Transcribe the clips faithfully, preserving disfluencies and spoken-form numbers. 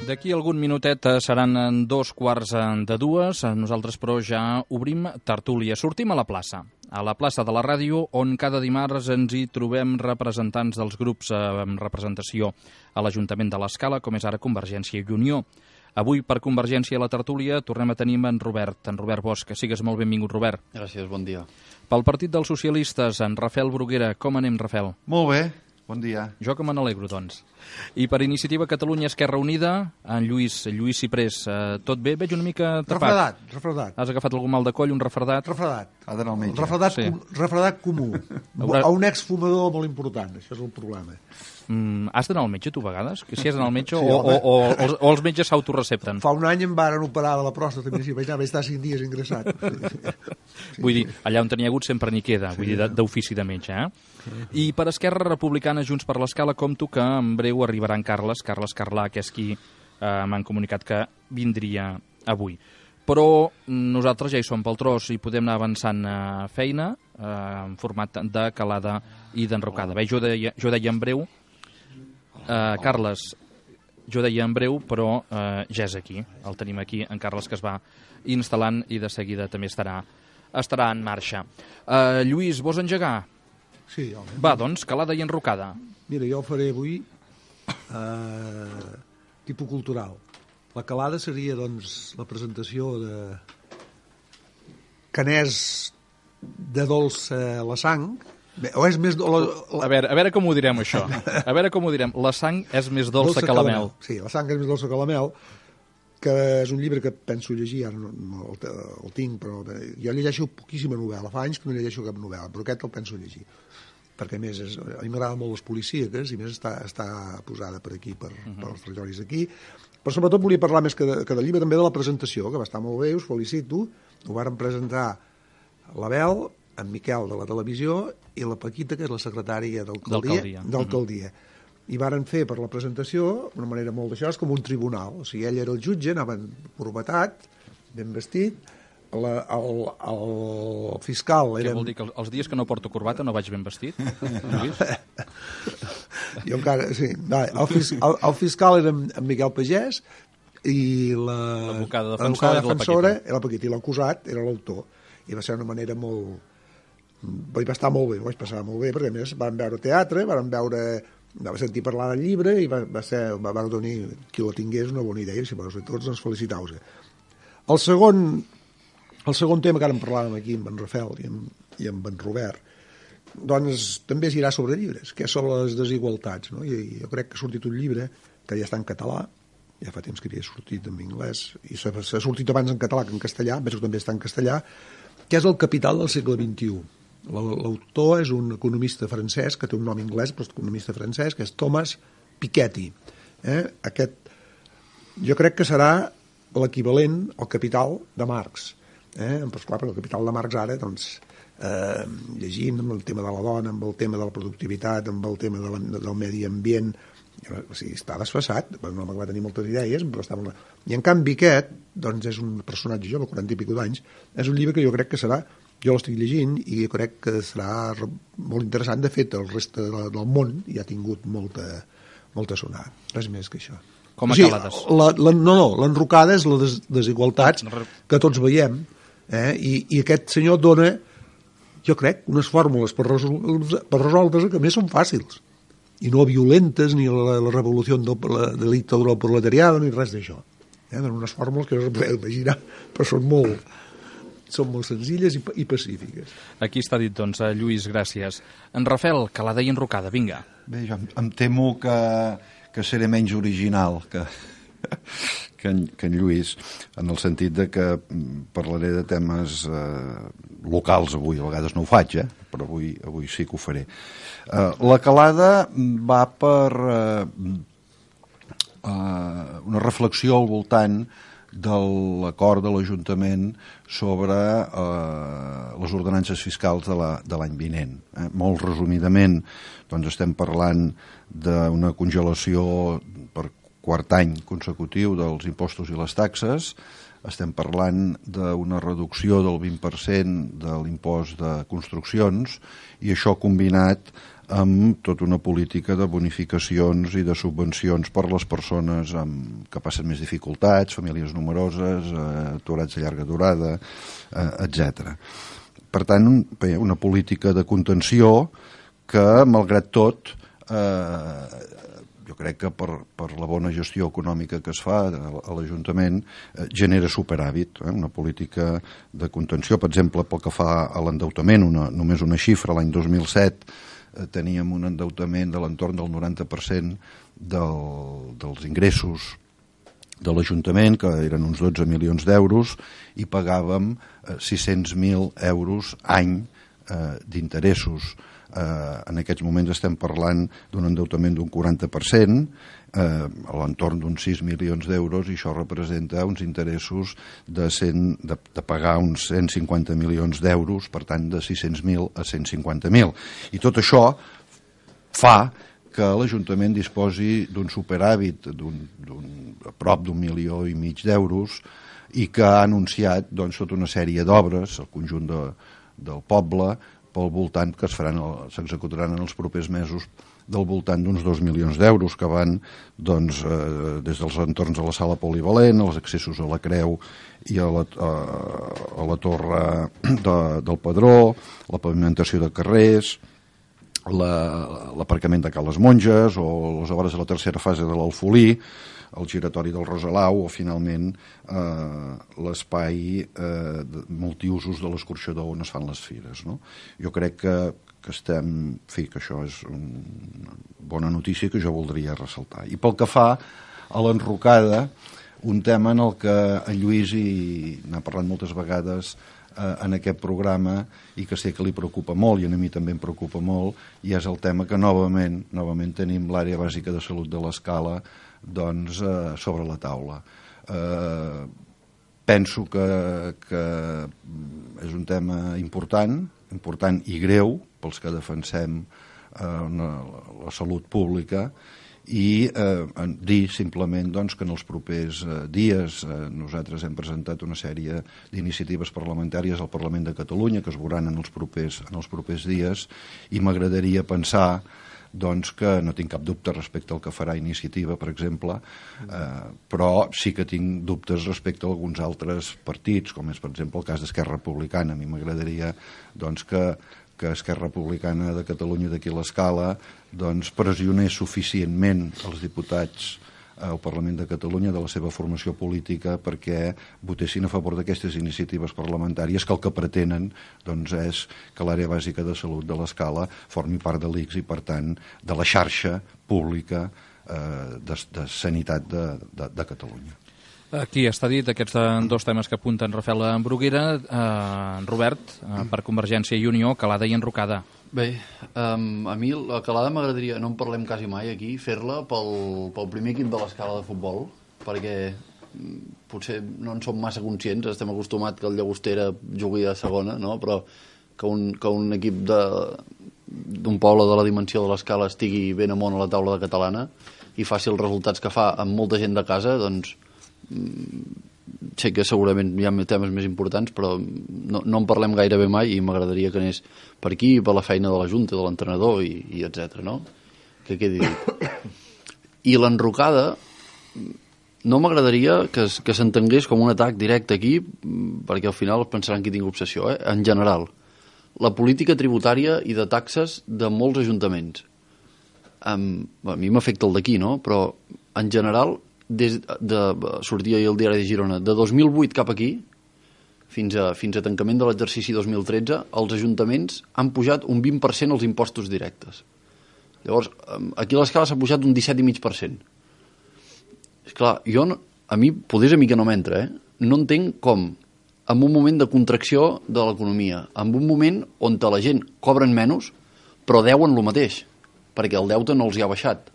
D'aquí algun minutet seran dos quarts de dues. Nosaltres, però, ja obrim tertúlia. Sortim a la plaça, a la plaça de la ràdio, on cada dimarts ens hi trobem representants dels grups amb representació a l'Ajuntament de l'Escala, com és ara Convergència i Unió. Avui, per Convergència a la tertúlia, tornem a tenir en Robert, en Robert Bosch. Que sigues molt benvingut, Robert. Gràcies, bon dia. Pel Partit dels Socialistes, en Rafael Bruguera. Com anem, Rafael? Molt bé, bon dia. Jo que me n'alegro, doncs. I per Iniciativa Catalunya Esquerra Unida, en Lluís, Lluís Ciprés, eh, tot bé? Veig una mica tapat. Refredat, refredat. Has agafat algun mal de coll, un refredat? Refredat. Ha d'anar al metge. Refredat, Sí. com, refredat comú. Haurà- A un exfumador molt important, això és el problema. Mm, has d'anar al metge, tu, a vegades? Que si has d'anar al metge Sí, o, o, home. o, o, els, o els metges s'autorecepten? Fa un any em varen operar de la pròstata, i vaig anar, vaig estar cinc dies ingressat. Vull dir, allà on tenia hagut sempre n'hi queda, vull dir, de- d'ofici de metge, eh? I per Esquerra Republicana, Junts per l'Escala, compto que en breu arribarà en Carles, Carles Carlà, que és qui eh, m'han comunicat que vindria avui. Però nosaltres ja hi som pel tros i podem anar avançant a feina eh, en format de calada i d'enrocada. Bé, jo deia, jo deia en breu, eh, Carles, jo deia en breu, però eh, ja és aquí. El tenim aquí, en Carles, que es va instal·lant i de seguida també estarà, estarà en marxa. Eh, Lluís, vols engegar? Sí, home. Va, doncs, calada i enrocada. Mira, jo faré avui eh, tipus cultural. La calada seria, doncs, la presentació de canès de dolç a la sang. Bé, o és més... do- La, la, A veure, a veure com ho direm, això. A veure com ho direm. La sang és més dolça que la mel. Sí, la sang és més dolça que la mel, que és un llibre que penso llegir, ara no, no el, el tinc, però bé, jo llegeixo poquíssima novel·la, fa anys que no llegeixo cap novel·la, però aquest el penso llegir, perquè a més és, a mi m'agraden molt les policíaques i a més està, està posada per aquí, per, uh -huh. per els territoris d'aquí, però sobretot volia parlar més que de, que de llibre també de la presentació, que va estar molt bé, us felicito, ho varen presentar l'Abel, en Miquel de la televisió i la Paquita, que és la secretària d'alcaldia, d'alcaldia. I varen fer per la presentació d'una manera molt d'això, és com un tribunal, o sigui, ell era el jutge, anaven corbatat, ben vestit, la, el, el fiscal era... Què vol dir, que els dies que no porto corbata no vaig ben vestit? Lluís? Jo encara, sí. Va, el, fis, el, el fiscal era en en Miquel Pagès i la... L'advocada defensora l'advocada era la defensora Paquita. era la Paquita, i l'acusat era l'autor. I va ser una manera molt... Vaig estar molt bé, ho vaig passar molt bé, perquè a més vam veure teatre, vam veure... va sentir parlar del llibre i va, va ser, va, va tenir, qui lo tingués, una bona idea, i si vols tots ens felicitau-vos. El segon, el segon tema que ara en parlàvem aquí amb en Rafael i amb, i amb en Robert, doncs també es dirà sobre llibres, que és sobre les desigualtats, no? I, i jo crec que ha sortit un llibre que ja està en català, ja fa temps que havia sortit en anglès, i s'ha, s'ha sortit abans en català que en castellà, penso que també està en castellà, que és El capital del segle vint-i-u. L'autor és un economista francès, que té un nom anglès, però és economista francès, que és Thomas Piketty. Eh? Aquest, jo crec que serà l'equivalent al Capital de Marx. Eh? Però, esclar, perquè el Capital de Marx ara, doncs, eh, llegint amb el tema de la dona, amb el tema de la productivitat, amb el tema de la, del medi ambient, o sigui, està desfassat, no va tenir moltes idees, però està molt... I en canvi aquest, doncs, és un personatge jove, quaranta i pico d'anys, és un llibre que jo crec que serà, jo l'estic llegint i crec que serà molt interessant. De fet, el reste del món ja ha tingut molta, molta sonada. Res més que això. Com a o sigui, calades. la, la, no, no, l'enrocada és la des, desigualtats que tots veiem, eh? I, i aquest senyor dona, jo crec, unes fórmules per, resol, per resoldre que a més són fàcils i no violentes, ni la, la revolució de la, de la dictadura del proletariado, ni res d'això. Eh? Donen unes fórmules que no es podeu imaginar, però són molt... són molt senzilles i, i pacífiques. Aquí està dit, doncs, Lluís, gràcies. En Rafael, calada i enrocada, vinga. Bé, jo em, em temo que, que seré menys original que, que, en, que en Lluís, en el sentit de que parlaré de temes eh, locals avui, a vegades no ho faig, eh? Però avui, avui sí que ho faré. Eh, la calada va per eh, eh, una reflexió al voltant de l'acord de l'Ajuntament sobre eh, les ordenances fiscals de la, de l'any vinent. Eh? Molt resumidament, doncs estem parlant d'una congelació per quart any consecutiu dels impostos i les taxes, estem parlant d'una reducció del vint per cent de l'impost de construccions, i això combinat amb tota una política de bonificacions i de subvencions per a les persones amb, que passen més dificultats, famílies numeroses, eh, aturats de llarga durada, eh, etcètera. Per tant, bé, una política de contenció que, malgrat tot, eh, jo crec que per, per la bona gestió econòmica que es fa a l'Ajuntament eh, genera superàvit, eh? Una política de contenció, per exemple, pel que fa a l'endeutament, una, només una xifra, l'any dos mil set eh, teníem un endeutament de l'entorn del noranta per cent del, dels ingressos de l'Ajuntament, que eren uns dotze milions d'euros, i pagàvem eh, sis-cents mil euros any eh, d'interessos. Eh, en aquests moments estem parlant d'un endeutament d'un quaranta per cent, eh, a l'entorn d'uns sis milions d'euros, i això representa uns interessos de, cent, de, de pagar uns cent cinquanta milions d'euros, per tant de sis-cents mil a cent cinquanta mil. I tot això fa que l'Ajuntament disposi d'un superàvit d'un, d'un, a prop d'un milió i mig d'euros, i que ha anunciat doncs, tota una sèrie d'obres al conjunt de, del poble pel voltant, que es faran, s'executaran en els propers mesos, del voltant d'uns dos milions d'euros, que van doncs, eh, des dels entorns de la sala polivalent, els accessos a la Creu i a la, a, a la torre de, del Padró, la pavimentació de carrers, l'aparcament de Ca les Monges, o les obres de la tercera fase de l'Alfolí, el giratori del Rosalau, o finalment eh, l'espai eh, multiusos de l'escorxador on es fan les fires, no? Jo crec que, que estem... En fi, que això és una bona notícia que jo voldria ressaltar. I pel que fa a l'enrocada, un tema en el que en Lluís hi n'ha parlat moltes vegades eh, en aquest programa, i que sé que li preocupa molt, i a mi també em preocupa molt, i és el tema que novament, novament tenim l'àrea bàsica de salut de l'Escala doncs, eh, sobre la taula. Eh, penso que, que és un tema important, important i greu pels que defensem eh, una, la salut pública, i eh, dir simplement doncs, que en els propers eh, dies eh, nosaltres hem presentat una sèrie d'iniciatives parlamentàries al Parlament de Catalunya que es veuran en els propers, en els propers dies, i m'agradaria pensar doncs que no tinc cap dubte respecte al que farà Iniciativa, per exemple, eh, però sí que tinc dubtes respecte a alguns altres partits, com és, per exemple, el cas d'Esquerra Republicana. A mi m'agradaria doncs, que, que Esquerra Republicana de Catalunya d'aquí a l'Escala doncs, pressionés suficientment els diputats al Parlament de Catalunya de la seva formació política perquè votessin a favor d'aquestes iniciatives parlamentàries que el que pretenen doncs, és que l'àrea bàsica de salut de l'Escala formi part de l'I C S i, per tant, de la xarxa pública eh, de, de sanitat de, de, de Catalunya. Aquí està dit, aquests dos temes que apunten Rafael Bruguera, eh, Robert, eh, per Convergència i Unió, calada i enrocada. Bé, um, a mi la calada m'agradaria, no en parlem quasi mai aquí, fer-la pel, pel primer equip de l'Escala de futbol, perquè potser no en som massa conscients, estem acostumats que el Llagostera jugui a segona, no? Però que un, que un equip d'un poble de la dimensió de l'Escala estigui ben amunt a la taula de catalana i faci els resultats que fa amb molta gent de casa, doncs sé que segurament hi ha temes més importants, però no, no en parlem gairebé mai, i m'agradaria que anés per aquí, per la feina de la Junta, de l'entrenador i, i etcètera, no? Que quedi dit. I l'enrocada no m'agradaria que, que s'entengués com un atac directe aquí, perquè al final pensaran que tinc obsessió, eh? En general, la política tributària i de taxes de molts ajuntaments. Um, a mi m'afecta el d'aquí, no? Però en general, des de, sortia ahir el diari de Girona, de dos mil vuit cap aquí, fins a, fins a tancament de l'exercici dos mil tretze, els ajuntaments han pujat un vint per cent els impostos directes. Llavors, aquí a l'Escala s'ha pujat un disset coma cinc per cent. Esclar, jo, no, a mi, potser a mi que no m'entra, eh? No entenc com, en un moment de contracció de l'economia, en un moment on la gent cobren menys, però deuen el mateix, perquè el deute no els hi ha baixat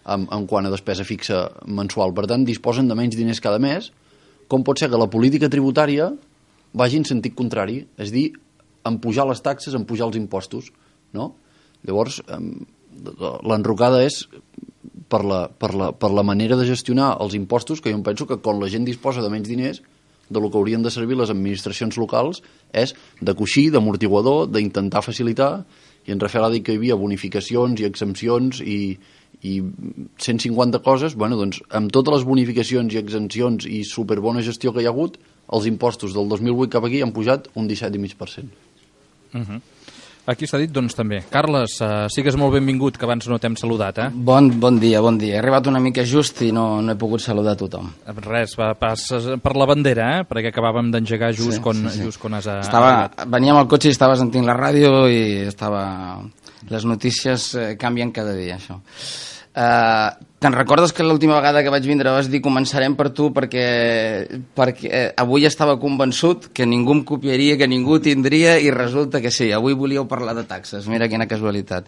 en, en quant a despesa fixa mensual. Per tant, disposen de menys diners cada mes. Com pot ser que la política tributària vagi en sentit contrari, és dir, en pujar les taxes, en pujar els impostos, no? Llavors, l'enrocada és per la, per, la, per la manera de gestionar els impostos, que jo em penso que quan la gent disposa de menys diners, de lo que haurien de servir les administracions locals és de coixí, d'amortiguador, d'intentar facilitar, i en Rafael ha dit que hi havia bonificacions i exempcions i, i cent cinquanta coses. Bueno, doncs, amb totes les bonificacions i exempcions i superbona gestió que hi ha hagut, els impostos del dos mil vuit cap aquí han pujat un disset coma cinc per cent. Uh-huh. Aquí s'ha dit, doncs, també. Carles, uh, sigues molt benvingut, que abans no t'hem saludat, eh? Bon, bon dia, bon dia. He arribat una mica just i no, no he pogut saludar a tothom. Res, va, passes per la bandera, eh? Perquè acabàvem d'engegar just, Sí, quan, sí, sí. just quan has Estava, arribat. venia amb el cotxe i estava sentint la ràdio i estava... Les notícies eh, canvien cada dia, això. Uh, Te'n recordes que l'última vegada que vaig vindre vas dir començarem per tu perquè, perquè eh, avui estava convençut que ningú em copiaria, que ningú tindria, i resulta que sí, avui volíeu parlar de taxes, mira quina casualitat.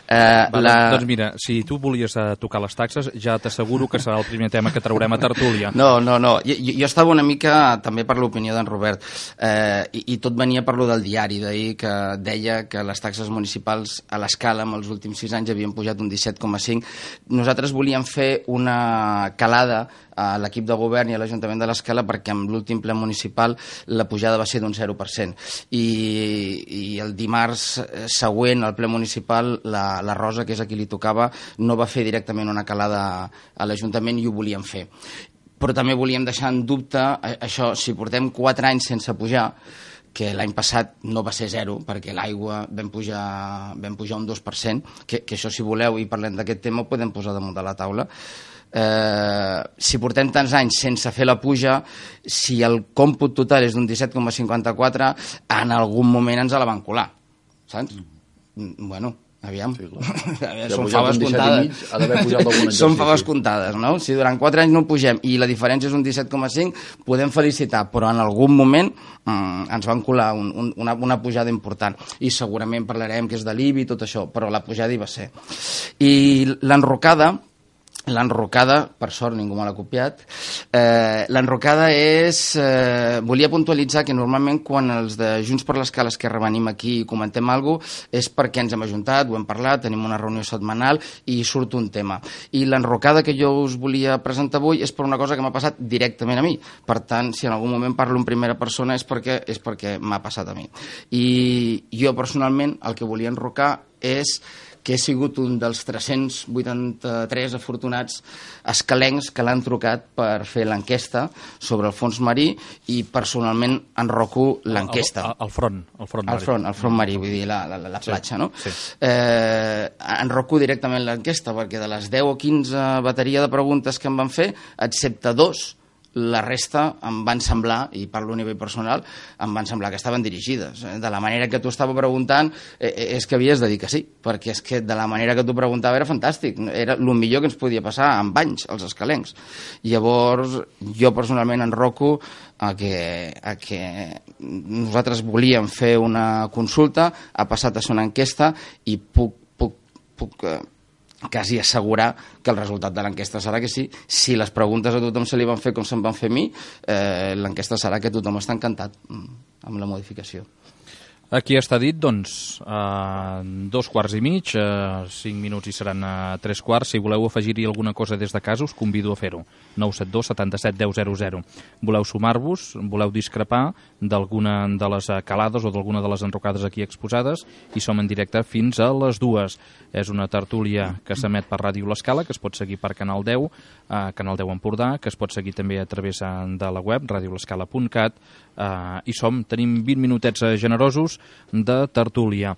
Uh, Va, la... Doncs mira, si tu volies uh, tocar les taxes, ja t'asseguro que serà el primer tema que traurem a tertúlia. No, no, no. Jo, jo estava una mica també per l'opinió d'en Robert, eh, i, i tot venia per lo del diari d'ahir, que deia que les taxes municipals a l'escala en els últims sis anys havien pujat un disset coma cinc. Nosaltres volíem fer una calada a l'equip de govern i a l'Ajuntament de l'Escala perquè amb l'últim ple municipal la pujada va ser d'un zero per cent. I, i el dimarts següent al ple municipal la, la Rosa, que és a qui li tocava, no va fer directament una calada a l'Ajuntament i ho volíem fer. Però també volíem deixar en dubte això, si portem quatre anys sense pujar, que l'any passat no va ser zero, perquè l'aigua vam pujar, vam pujar un dos per cent, que, que això, si voleu, i parlem d'aquest tema, ho podem posar damunt de la taula. Eh, si portem tants anys sense fer la puja, si el còmput total és d'un disset coma cinquanta-quatre, en algun moment ens la van colar, saps? Mm. Bueno, aviam. Sí, ja són faves comptades. Ha d'haver pujat algun exercici. Són faves comptades, no? Si durant quatre anys no pugem i la diferència és un disset coma cinc, podem felicitar, però en algun moment mm, ens van colar un, un, una, una pujada important. I segurament parlarem que és de l'I B I i tot això, però la pujada hi va ser. I l'enrocada, l'enrocada, per sort ningú me l'ha copiat, eh, l'enrocada és... Eh, volia puntualitzar que normalment quan els de Junts per l'Escala Esquerra venim aquí i comentem alguna cosa és perquè ens hem ajuntat, ho hem parlat, tenim una reunió setmanal i surt un tema. I l'enrocada que jo us volia presentar avui és per una cosa que m'ha passat directament a mi. Per tant, si en algun moment parlo en primera persona és perquè, és perquè m'ha passat a mi. I jo personalment el que volia enrocar és que he sigut un dels tres-cents vuitanta-tres afortunats escalencs que l'han trucat per fer l'enquesta sobre el fons marí i personalment enroco l'enquesta. Al, al front, al front marí. Al front, al front marí, vull dir, la, la, la platja, sí, no? Sí. Eh, enroco directament l'enquesta perquè de les deu o quinze bateria de preguntes que em van fer, excepte dos, la resta em van semblar, i parlo a nivell personal, em van semblar que estaven dirigides. De la manera que tu estava preguntant, eh, és que havies de dir que sí, perquè és que de la manera que tu preguntava era fantàstic, era el millor que ens podia passar amb anys, els escalencs. Llavors, jo personalment enroco a que, a que nosaltres volíem fer una consulta, ha passat a ser una enquesta i puc, puc, puc eh, quasi assegurar que el resultat de l'enquesta serà que sí. Si les preguntes a tothom se li van fer com se'n van fer a mi, eh, l'enquesta serà que tothom està encantat amb la modificació. Aquí està dit, doncs, eh, dos quarts i mig, eh, cinc minuts i seran eh, tres quarts. Si voleu afegir-hi alguna cosa des de casa, us convido a fer-ho. nou set dos setanta-set deu zero zero. Voleu sumar-vos, voleu discrepar d'alguna de les calades o d'alguna de les enrocades aquí exposades, i som en directe fins a les dues. És una tertúlia que s'emet per Ràdio L'Escala, que es pot seguir per Canal deu, eh, Canal deu Empordà, que es pot seguir també a través de la web, radio l'escala punt cat, eh, i som, tenim vint minutets generosos de tertúlia.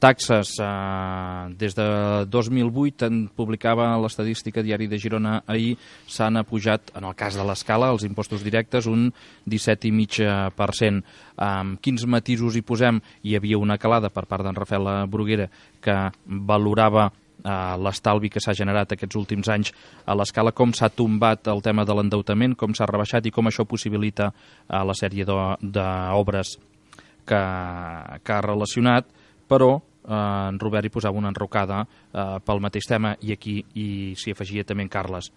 Taxes, eh, des de dos mil vuit, en publicava l'estadística Diari de Girona ahir, s'han apujat, en el cas de l'Escala, els impostos directes, un disset coma cinc per cent. Um, quins matisos hi posem? Hi havia una calada per part d'en Rafael Bruguera que valorava Uh, l'estalvi que s'ha generat aquests últims anys a l'Escala, com s'ha tombat el tema de l'endeutament, com s'ha rebaixat i com això possibilita uh, la sèrie d'obres que, que ha relacionat, però uh, en Robert hi posava una enrocada uh, pel mateix tema, i aquí i s'hi afegia també en Carles.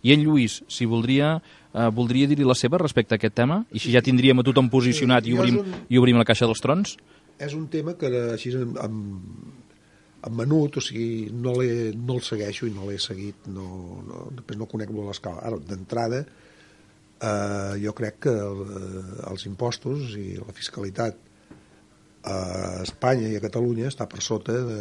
I en Lluís, si voldria, uh, voldria dir-hi la seva respecte a aquest tema, i si ja tindríem a tothom posicionat i obrim, un... i obrim la caixa dels trons? És un tema que així amb, amb en menut, o sigui, no, no el segueixo i no l'he seguit, no, no, després no conec molt l'Escala. Ara, d'entrada, eh, jo crec que el, els impostos i la fiscalitat a Espanya i a Catalunya està per sota de,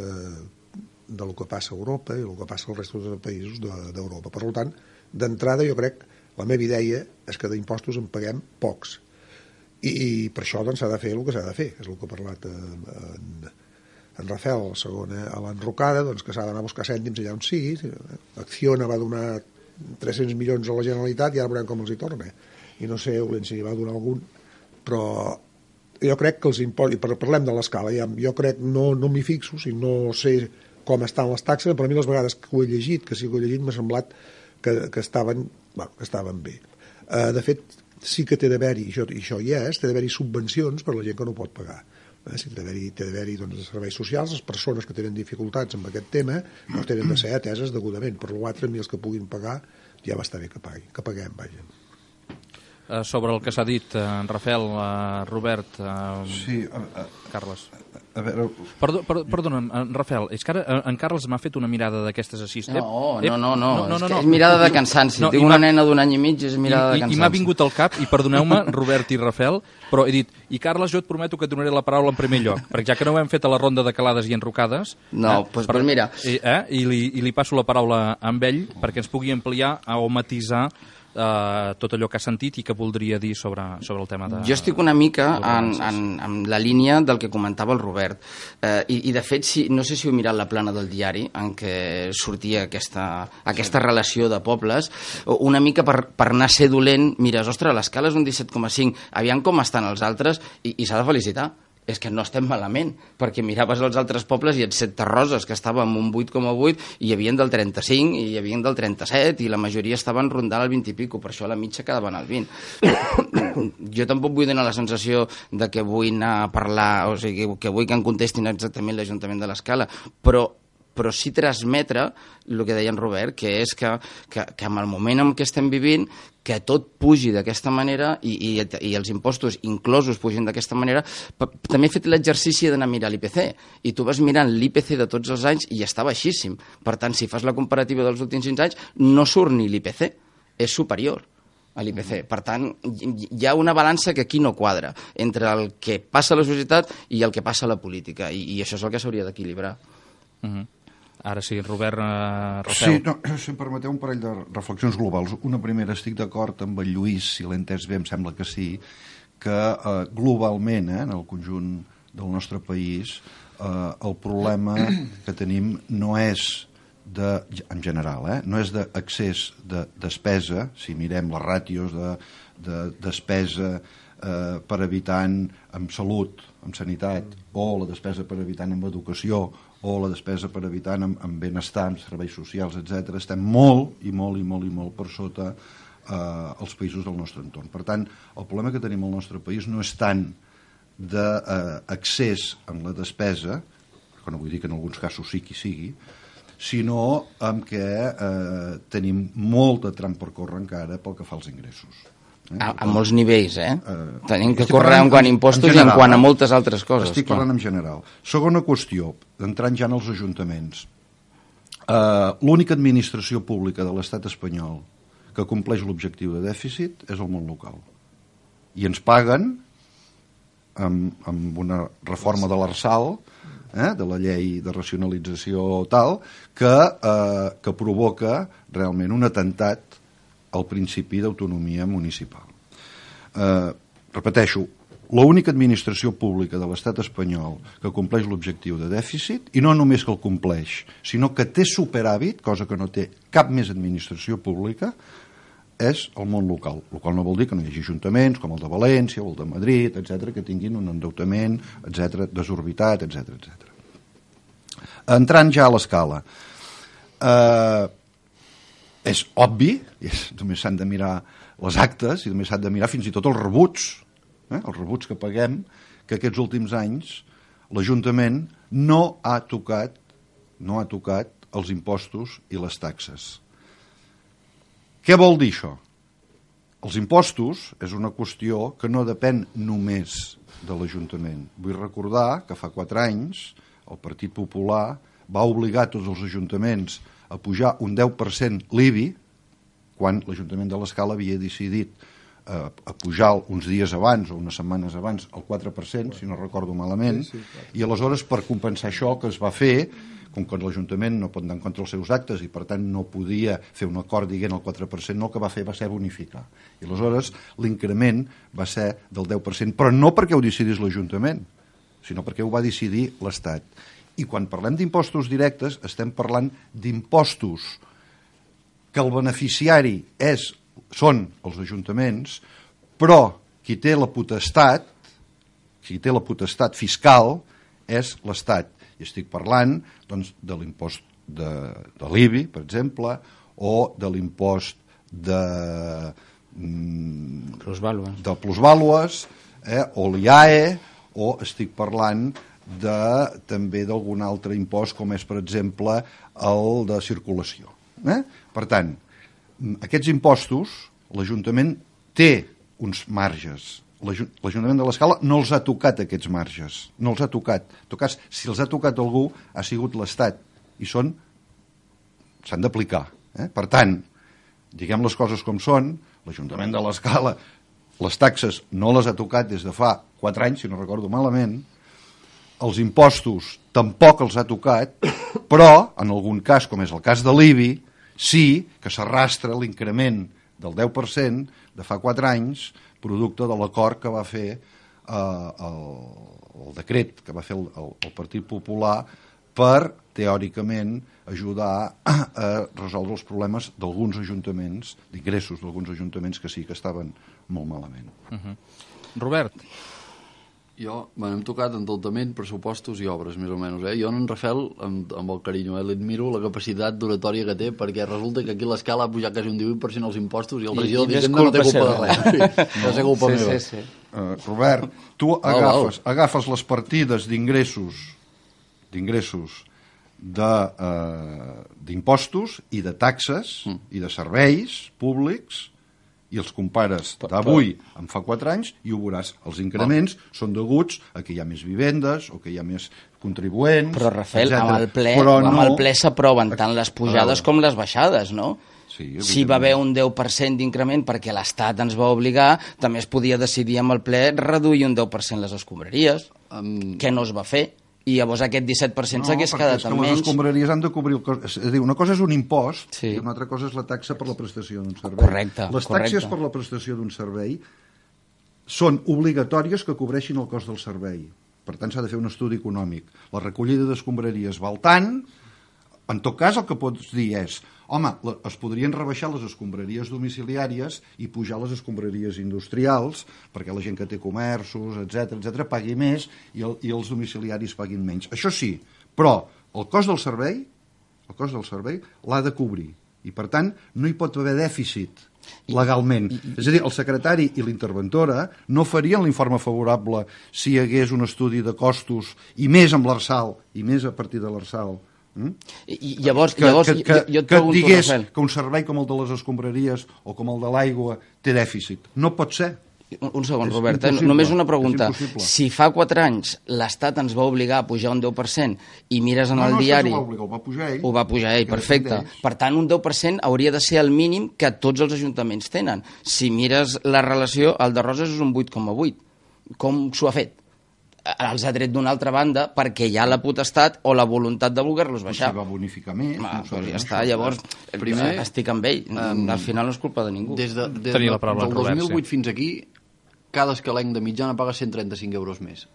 de lo que passa a Europa i el que passa als restos de països d'Europa. Per tant, d'entrada jo crec, la meva idea és que d'impostos en paguem pocs. I, i per això doncs, s'ha de fer el que s'ha de fer, és el que ha parlat en, en, en Rafael, la segona, a l'enrocada, doncs, que s'ha d'anar a buscar cèntims allà on sigui. Acciona va donar tres-cents milions a la Generalitat i ara veurem com els hi torna. I no sé si va donar algun, però jo crec que els impostos, i parlem de l'escala, ja, jo crec, no, no m'hi fixo, si no sé com estan les taxes, per a mi les vegades que ho he llegit, que sí que ho he llegit, m'ha semblat que, que, estaven, bueno, que estaven bé. Uh, de fet, sí que té d'haver-hi, i això, i això hi és, té d'haver-hi subvencions per a la gent que no pot pagar. Eh? Si té d'haver-hi, té d'haver-hi doncs, serveis socials, les persones que tenen dificultats amb aquest tema no tenen de ser ateses degudament. Per l'altre, a mi els que puguin pagar ja va estar bé que paguin, que paguem, vaja. Uh, sobre el que s'ha dit, uh, en Rafael, uh, Robert, uh, sí, uh, uh, Carles. A veure... Perdó, per, perdona, en Rafael, és que ara en Carles m'ha fet una mirada d'aquestes així. No, no, no, no, no, no, no, és, és mirada de cansanci. No, Tinc una nena d'un any i mig, és mirada i, de cansanci. I m'ha vingut al cap, i perdoneu-me, Robert i Rafael, però he dit, i Carles, jo et prometo que et donaré la paraula en primer lloc, perquè ja que no ho hem fet a la ronda de calades i enrocades... No, doncs eh, pues, pues mira... I, eh, i, li, I li passo la paraula amb ell perquè ens pugui ampliar o matisar Uh, tot allò que ha sentit i que voldria dir sobre, sobre el tema de... Jo estic una mica en, en, en la línia del que comentava el Robert. Uh, i, I, de fet, si, no sé si heu mirat la plana del diari en què sortia aquesta, aquesta sí. relació de pobles, una mica per, per anar a ser dolent, mires, ostres, l'escala és un disset coma cinc, aviam com estan els altres, i, i s'ha de felicitar. És que no estem malament, perquè miraves els altres pobles i et set Tarroses, que estava amb un vuit coma vuit, i hi havia del trenta-cinc, i hi havia del trenta-set, i la majoria estaven rondant el vint i pico, per això la mitja quedaven al vint. Jo tampoc vull donar la sensació de que vull anar a parlar, o sigui, que vull que em contestin exactament l'Ajuntament de l'Escala, però però sí transmetre el que deia en Robert, que és que, que, que en el moment en què estem vivint, que tot pugi d'aquesta manera i, i, i els impostos inclosos pugin d'aquesta manera. També he fet l'exercici d'anar a mirar l'I P C, i tu vas mirant l'I P C de tots els anys i està baixíssim. Per tant, si fas la comparativa dels últims cinc anys, no surt ni l'I P C, és superior a l'I P C. Per tant, hi ha una balança que aquí no quadra entre el que passa a la societat i el que passa a la política, i, i això és el que s'hauria d'equilibrar. Uh-huh. Ara sí, Robert, uh, Rafael. Sí, no, si em permeteu un parell de reflexions globals. Una primera, estic d'acord amb el Lluís, si l'he entès bé, em sembla que sí, que uh, globalment, eh, en el conjunt del nostre país, uh, el problema que tenim no és de, en general, eh, no és d'accés de despesa, si mirem les ràtios de, de despesa eh, per habitant en salut, en sanitat, o la despesa per habitant en educació, o la despesa per habitant en, en benestar, en serveis socials, etcètera, estem molt i molt i molt i molt per sota eh, els països del nostre entorn. Per tant, el problema que tenim al nostre país no és tant d'accés eh, en la despesa, que no vull dir que en alguns casos sí qui sigui, sinó amb què eh, tenim molt de tram per córrer encara pel que fa als ingressos. Eh? A, a molts nivells, eh? Uh, Tenim que córrer en quant a impostos general, i en quant a moltes altres coses. Estic clar. parlant en general. Segona qüestió, entrant ja en els ajuntaments. Uh, L'única administració pública de l'estat espanyol que compleix l'objectiu de dèficit és el món local. I ens paguen amb, amb una reforma de l'Arsal, eh, de la llei de racionalització tal, que, uh, que provoca realment un atemptat al principi d'autonomia municipal. Eh, repeteixo, l'única administració pública de l'estat espanyol que compleix l'objectiu de dèficit, i no només que el compleix, sinó que té superàvit, cosa que no té cap més administració pública, és el món local. El qual no vol dir que no hi hagi ajuntaments com el de València o el de Madrid, etcètera, que tinguin un endeutament, etcètera, desorbitat, etcètera, etcètera. Entrant ja a l'escala. Eh... És obvi, és, només s'han de mirar les actes i només s'han de mirar fins i tot els rebuts, eh, els rebuts que paguem, que aquests últims anys l'Ajuntament no ha tocat, no ha tocat els impostos i les taxes. Què vol dir això? Els impostos és una qüestió que no depèn només de l'Ajuntament. Vull recordar que fa quatre anys el Partit Popular va obligar tots els ajuntaments a pujar un deu per cent l'I B I, quan l'Ajuntament de l'Escala havia decidit a, a pujar uns dies abans o unes setmanes abans el quatre per cent, si no recordo malament, sí, sí, i aleshores per compensar això que es va fer, com que l'Ajuntament no pot anar en contra dels seus actes i per tant no podia fer un acord dient el quatre per cent, no, el que va fer va ser bonificar. I aleshores l'increment va ser del deu per cent, però no perquè ho decidís l'Ajuntament, sinó perquè ho va decidir l'Estat. I quan parlem d'impostos directes estem parlant d'impostos que el beneficiari és, són els ajuntaments, però qui té la potestat, qui té la potestat fiscal és l'Estat. I estic parlant doncs, de l'impost de, de l'I B I, per exemple, o de l'impost de, mm, plusvàlues, de plusvàlues eh, o l'I A E, o estic parlant de, també d'algun altre impost, com és, per exemple, el de circulació. Eh? Per tant, aquests impostos, l'Ajuntament té uns marges. L'Ajuntament de l'Escala no els ha tocat, aquests marges. No els ha tocat. En tot cas, si els ha tocat algú, ha sigut l'Estat. I són... s'han d'aplicar. Eh? Per tant, diguem les coses com són, l'Ajuntament de l'Escala, les taxes no les ha tocat des de fa quatre anys, si no recordo malament, els impostos tampoc els ha tocat, però, en algun cas, com és el cas de l'I B I, sí que s'arrastra l'increment del deu per cent de fa quatre anys, producte de l'acord que va fer eh, el, el decret que va fer el, el, el Partit Popular per, teòricament, ajudar a, a resoldre els problemes d'alguns ajuntaments, d'ingressos d'alguns ajuntaments que sí que estaven molt malament. Uh-huh. Robert? Jo, bueno, hem tocat endeutament, pressupostos i obres, més o menys. Eh? Jo, en Rafael, amb, amb el carinyo, eh? l'admiro la capacitat d'oratòria que té, perquè resulta que aquí l'escala ha pujat quasi un divuit per cent els impostos i el regidor d'Hisenda no té culpa de res. Sí, no és culpa sí, meva. Sí, sí. Uh, Robert, tu agafes, agafes les partides d'ingressos d'ingressos d'impostos uh, i de taxes mm. i de serveis públics i els compares d'avui amb fa quatre anys i ho veuràs. Els increments oh. són deguts a que hi ha més vivendes o que hi ha més contribuents, però, Rafael, etcètera. amb el ple, però amb no... el ple s'aproven tant les pujades com les baixades, no? Sí, si va haver un deu per cent d'increment perquè l'Estat ens va obligar, també es podia decidir amb el ple reduir un deu per cent les escombraries, um... que no es va fer. I llavors aquest disset per cent s'hagués no, quedat amb menys. Les escombraries han de cobrir el cost. És a dir, una cosa és un impost sí. i una altra cosa és la taxa per la prestació d'un servei. Correcte. Les correcte. taxes per la prestació d'un servei són obligatòries que cobreixin el cost del servei. Per tant, s'ha de fer un estudi econòmic. La recollida d'escombraries val tant. En tot cas, el que pots dir és home, es podrien rebaixar les escombraries domiciliàries i pujar les escombraries industrials perquè la gent que té comerços, etcètera, etcètera, pagui més i, el, i els domiciliaris paguin menys. Això sí, però el cost del servei, el cost del servei l'ha de cobrir i, per tant, no hi pot haver dèficit legalment. I, i, i... És a dir, el secretari i l'interventora no farien l'informe favorable si hi hagués un estudi de costos i més amb l'Arsal, i més a partir de l'Arsal. Mm? I llavors, que, llavors que, que, jo, jo et que pregunto, digués Rafael, que un servei com el de les escombraries o com el de l'aigua té dèficit. No pot ser. Un, un segon, És Robert, eh? només una pregunta. Si fa quatre anys l'Estat ens va obligar a pujar un deu per cent i mires en no, el no, diari... No, no, ho va pujar ell. Ho va pujar ell, perfecte. Per tant, un deu per cent hauria de ser el mínim que tots els ajuntaments tenen. Si mires la relació, el de Roses és un vuit coma vuit. Com s'ho ha fet? Els ha tret d'una altra banda perquè hi ha la potestat o la voluntat de voler-los baixar. Potser va bonificar més. Ma, no doncs ja està, llavors primer, estic amb ell. Um, al final no és culpa de ningú. Des, de, des de, del dos mil vuit fins aquí, cada escalenc de mitjana paga cent trenta-cinc euros més.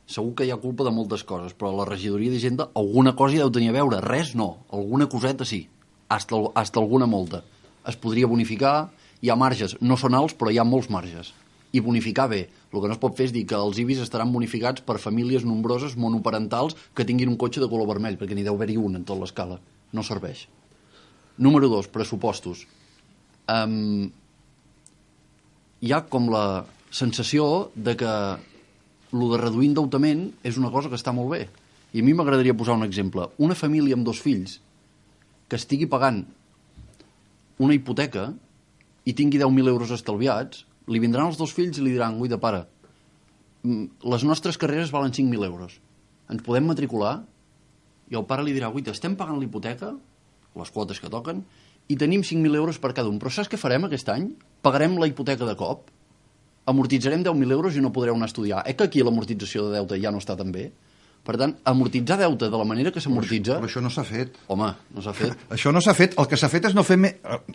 Segur que hi ha culpa de moltes coses, però la regidoria d'Hisenda alguna cosa hi deu tenir a veure. Res no, alguna coseta sí. Hasta, hasta alguna molta. Es podria bonificar, hi ha marges, no són alts, però hi ha molts marges. I bonificar bé. El que no es pot fer és dir que els I B I S estaran bonificats per famílies nombroses monoparentals que tinguin un cotxe de color vermell, perquè n'hi deu haver-hi un en tota l'escala. No serveix. Número dos, pressupostos. Um, hi ha com la sensació de que el de reduir endeutament és una cosa que està molt bé. I a mi m'agradaria posar un exemple. Una família amb dos fills que estigui pagant una hipoteca i tingui deu mil euros estalviats, li vindran els dos fills i li diran, guaita, pare, les nostres carreres valen cinc mil euros. Ens podem matricular? I el pare li dirà, guaita, estem pagant l'hipoteca, les quotes que toquen, i tenim cinc mil euros per cada un. Però saps què farem aquest any? Pagarem la hipoteca de cop, amortitzarem deu mil euros i no podreu anar a estudiar. Eh que aquí l'amortització de deute ja no està tan bé? Per tant, amortitzar deute de la manera que s'amortitza... Però això no s'ha fet. Home, no s'ha fet. Això no s'ha fet. El que s'ha fet és no fer... Me...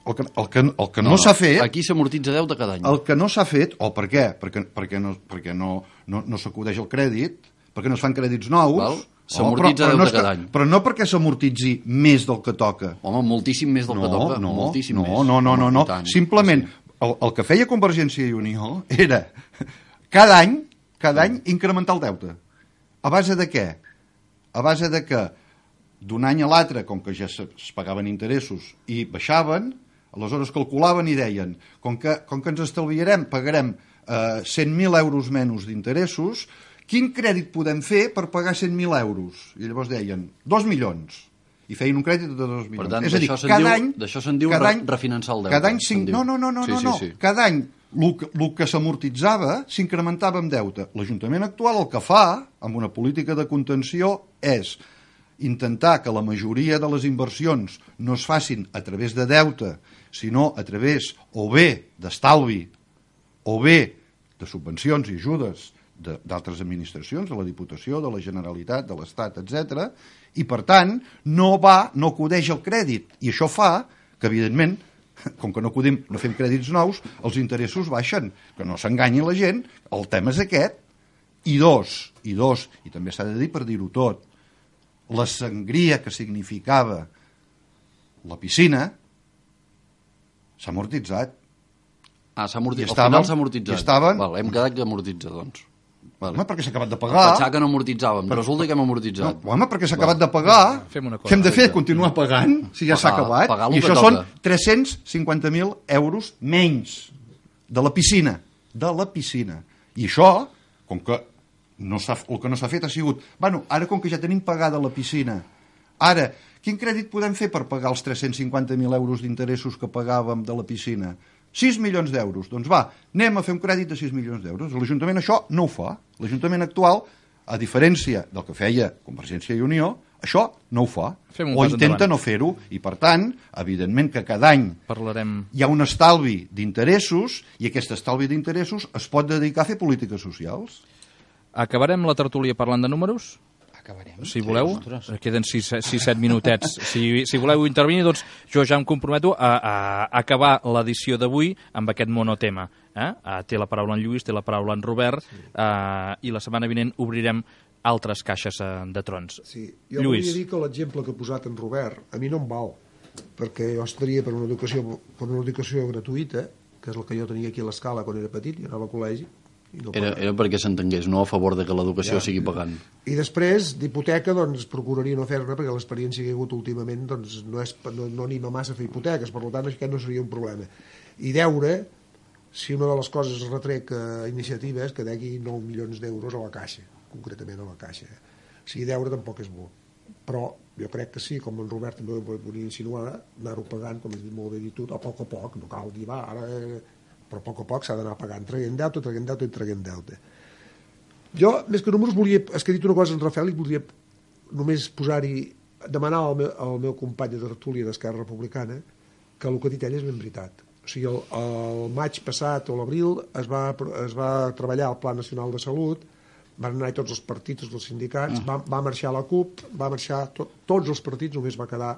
El que, el que, el que no, no s'ha fet... Aquí s'amortitza deute cada any. El que no s'ha fet... O per què? Perquè, perquè, no, perquè no, no, no s'acudeix el crèdit, perquè no es fan crèdits nous... S'amortitza deute no cada any. Però no perquè s'amortitzi més del que toca. Home, moltíssim més del no, que toca. No, moltíssim no, més. no, no, no, no. Simplement, el, el que feia Convergència i Unió era cada any, cada any incrementar el deute. A base de què? A base de que d'un any a l'altre, com que ja es pagaven interessos i baixaven, aleshores calculaven i deien, com que, com que ens estalviarem, pagarem eh, cent mil euros menys d'interessos, quin crèdit podem fer per pagar cent mil euros? I llavors deien, dos milions. I feien un crèdit de dos milions. Per tant, és a dir, d'això se'n cada diu, any, d'això se'n diu cada re, any, refinançar el deute. Cada any cinc... No, no, no, no, sí, no, no. Sí, sí. Cada any el que, el que s'amortitzava s'incrementava amb deute. L'Ajuntament actual el que fa, amb una política de contenció, és intentar que la majoria de les inversions no es facin a través de deute, sinó a través o bé d'estalvi o bé de subvencions i ajudes d'altres administracions, de la Diputació, de la Generalitat, de l'Estat, etcètera, i per tant no va, no acudeix el crèdit, i això fa que evidentment, com que no acudim, no fem crèdits nous, els interessos baixen, que no s'enganyi la gent, el tema és aquest, i dos, i dos, i també s'ha de dir per dir-ho tot, la sangria que significava la piscina s'ha amortitzat. Ah, s'ha amortitzat. Al estaven, final s'ha amortitzat. Estaven... Val, hem quedat que amortitza, doncs. Vale. Home, perquè s'ha acabat de pagar. Pensava que no amortitzàvem, però resulta que hem amortitzat. No, home, perquè s'ha acabat de pagar. Fem una cosa. Què hem de fer? Continuar pagant, si ja s'ha acabat. I això són tres-cents cinquanta mil euros menys de la piscina. De la piscina. I això, com que no el que no s'ha fet ha sigut... Bueno, ara com que ja tenim pagada la piscina, ara, quin crèdit podem fer per pagar els tres-cents cinquanta mil euros d'interessos que pagàvem de la piscina? sis milions d'euros. Doncs va, anem a fer un crèdit de sis milions d'euros. L'Ajuntament això no ho fa. L'Ajuntament actual, a diferència del que feia Convergència i Unió, això no ho fa. O intenta endavant. No fer-ho. I, per tant, evidentment que cada any Parlarem... hi ha un estalvi d'interessos i aquest estalvi d'interessos es pot dedicar a fer polítiques socials. Acabarem la tertúlia parlant de números? Acabarem. Si voleu, sí, queden sis set minutets. Si, si voleu intervenir, doncs jo ja em comprometo a, a, a acabar l'edició d'avui amb aquest monotema. Eh? Té la paraula en Lluís, té la paraula en Robert, sí. eh, i la setmana vinent obrirem altres caixes eh, de trons. Sí. Jo Lluís. volia dir que l'exemple que ha posat en Robert a mi no em val, perquè jo estaria per una educació, per una educació gratuïta, que és el que jo tenia aquí a l'Escala quan era petit, i anava al col·legi. No era, era perquè s'entengués, no a favor de que l'educació ja. sigui pagant. I després, d'hipoteca, doncs, procuraria no fer-ne, perquè l'experiència que hi ha hagut últimament doncs, no, és, no, no anima massa a fer hipoteques, per tant, aquest no seria un problema. I deure, si una de les coses es retrec a iniciativa és que degui nou milions d'euros a la caixa, concretament a la caixa. O sigui, deure tampoc és bo. Però jo crec que sí, com en Robert també ho volia insinuar, anar-ho pagant, com has dit molt bé dit tu, a poc a poc, no cal dir, va, ara... però a poc a poc s'ha d'anar pagant, traient deute, traient deute i traient deute. Jo, més que números, volia, és que he dit una cosa en Rafael i voldria només posar-hi, demanar al meu, al meu company de tertúlia d'Esquerra Republicana que el que ha dit ell és ben veritat. O sigui, el, el maig passat o l'abril es, va, es va treballar el Pla Nacional de Salut, van anar tots els partits, tots els sindicats, mm. va, va marxar la CUP, va marxar to, tots els partits, només va quedar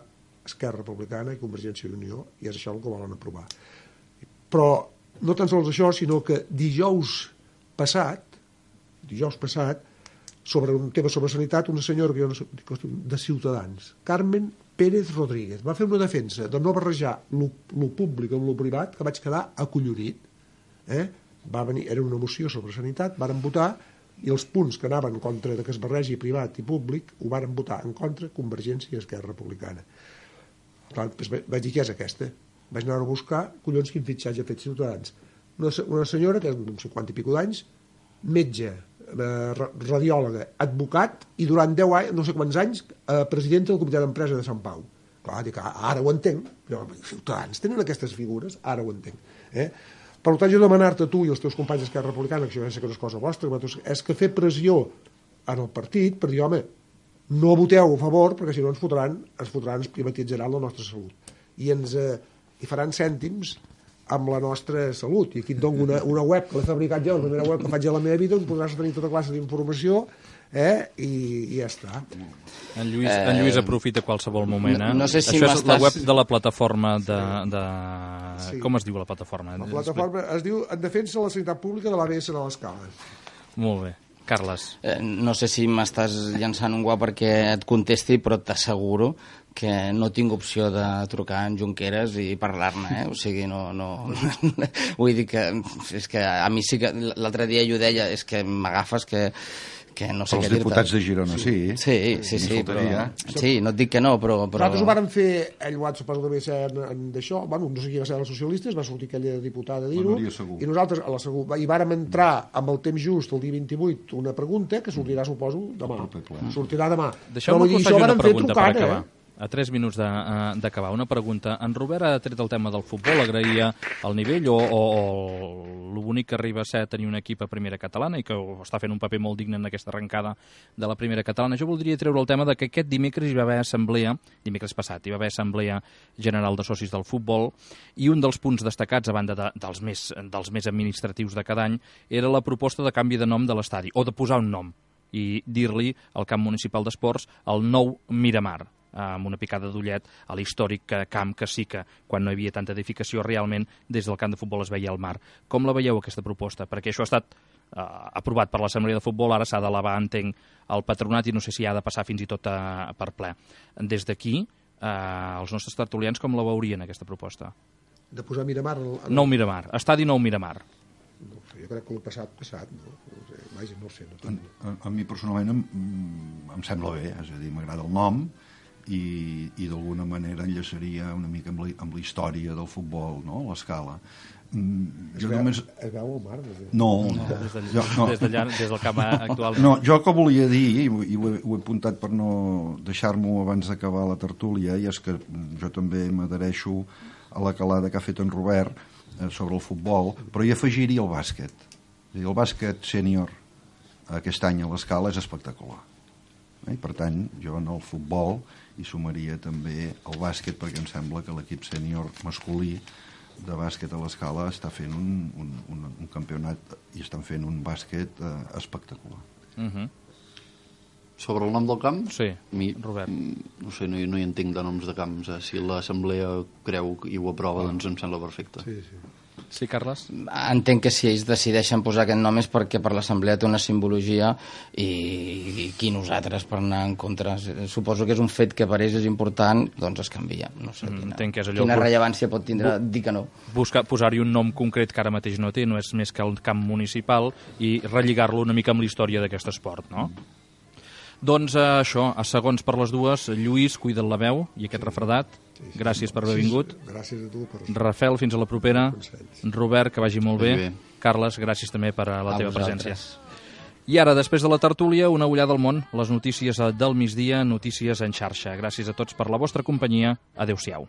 Esquerra Republicana i Convergència i Unió, i és això el que volen aprovar. Però no tan sols això, sinó que dijous passat, dijous passat, sobre un tema sobre sanitat, una senyora que jo no sé, de Ciutadans, Carmen Pérez Rodríguez, va fer una defensa de no barrejar lo, lo públic amb lo privat, que vaig quedar acollonit. Eh? Va venir, era una moció sobre sanitat, varen votar, i els punts que anaven en contra de que es barregi privat i públic ho varen votar en contra Convergència i Esquerra Republicana. Clar, doncs vaig dir, què és aquesta? Vaig anar a buscar, collons, quin fitxatge ha fet Ciutadans. Una, una senyora que és d'un cinquanta i pico d'anys, metge, eh, radiòloga, advocat, i durant deu anys, no sé quants anys, eh, presidenta del Comitè d'Empresa de Sant Pau. Clar, dic, ara ho entenc. Jo, Ciutadans tenen aquestes figures, ara ho entenc. Eh? Per tant, jo demanar-te a tu i els teus companys d'Esquerra Republicana, que jo ja sé que no és cosa vostra, és que fer pressió en el partit per dir, home, no voteu a favor, perquè si no ens fotran, ens fotran, ens privatitzaran la nostra salut. i ens eh, i faran cèntims amb la nostra salut. I aquí et dono una, una web que l'he fabricat jo, la primera web que faig a la meva vida, on podràs tenir tota classe d'informació, eh? I, i ja està. En Lluís, eh... en Lluís aprofita qualsevol moment, eh? No, no sé si Això és la web de la plataforma de... de... Sí. Com es diu la plataforma? La plataforma es diu En defensa de la sanitat pública de l'A B S de l'Escala. Molt bé. Carles. Eh, no sé si m'estàs llançant un guà perquè et contesti, però t'asseguro que no tinc opció de trucar en Junqueras i parlar-ne, eh? O sigui, no... no... Vull dir que, és que a mi sí que... L'altre dia jo deia, és que m'agafes que... que no sé els què dir-te. diputats de Girona, sí. Sí, sí, sí, però... Sí, no et dic que no, però... però... Nosaltres ho vàrem fer, ell ho ha suposo que devia ser en, en d'això, bueno, no sé qui va ser els socialistes, va sortir aquella diputada a dir-ho, i nosaltres a la segur, i vàrem entrar amb el temps just, el dia vint-i-vuit, una pregunta que sortirà, suposo, demà. Sortirà demà. Deixeu-me que us faci una pregunta per acabar. A tres minuts d'acabar. Una pregunta. En Robert ha tret el tema del futbol, agraïa el nivell o, o, o lo bonic que arriba a ser tenir un equip a primera catalana i que està fent un paper molt digne en aquesta arrencada de la primera catalana. Jo voldria treure el tema de que aquest dimecres hi va haver assemblea, dimecres passat, hi va haver assemblea general de socis del futbol i un dels punts destacats, a banda de, dels, més, dels més administratius de cada any, era la proposta de canvi de nom de l'estadi, o de posar un nom i dir-li al camp municipal d'esports el nou Miramar, amb una picada d'ullet a l'històric camp que sí que, quan no hi havia tanta edificació, realment des del camp de futbol es veia el mar. Com la veieu, aquesta proposta? Perquè això ha estat eh, aprovat per l'Assemblea de Futbol, ara s'ha d'elevar, entenc, al patronat i no sé si ha de passar fins i tot a, per ple. Des d'aquí, eh, els nostres tertulians com la veurien, aquesta proposta? De posar Miramar... En... Nou Miramar, estadi Nou Miramar. No sé, jo crec que el passat, passat, no? No sé, vaja, no sé. No a, a, a mi personalment em, em sembla bé, és a dir, m'agrada el nom, i, i d'alguna manera enllaçaria una mica amb la, amb la història del futbol, no? L'escala. Mm, es, jo veu, només... es veu el mar? Des de... No, no, des, de, jo, no. Des, de, des del camp actual. No, jo que volia dir, i ho, ho, he, ho he apuntat per no deixar-m'ho abans d'acabar la tertúlia, i és que jo també m'adhereixo a la calada que ha fet en Robert eh, sobre el futbol, però hi afegiria el bàsquet. El bàsquet sènior aquest any a l'Escala és espectacular. I per tant, jo en el futbol hi sumaria també el bàsquet, perquè em sembla que l'equip sènior masculí de bàsquet a l'Escala està fent un, un, un, un campionat i estan fent un bàsquet eh, espectacular. Uh-huh. Sobre el nom del camp? Sí, mi, Robert. No sé, no, no hi entenc de noms de camps. Eh? Si l'assemblea creu i ho aprova, oh. doncs em sembla perfecte. Sí, sí. Sí, Carles? Entenc que si ells decideixen posar aquest nom és perquè per l'assemblea té una simbologia i, i qui nosaltres per anar en contra. Suposo que és un fet que per ells és important, doncs es canvia. No sé quina, mm, que és allò quina rellevància pot tindre dir que no. Buscar, posar-hi un nom concret que ara mateix no té, no és més que el camp municipal, i relligar-lo una mica amb la història d'aquest esport, no? Mm. Doncs eh, això, a segons per les dues, Lluís, cuida't la veu i aquest refredat. Sí, sí, gràcies per haver sí, vingut. Gràcies a tu. Per... Rafael, fins a la propera. Robert, que vagi molt bé. bé. Carles, gràcies també per a la a teva vosaltres. presència. I ara, després de la tertúlia, una ullada al món, les notícies del migdia, notícies en xarxa. Gràcies a tots per la vostra companyia. Adéu-siau.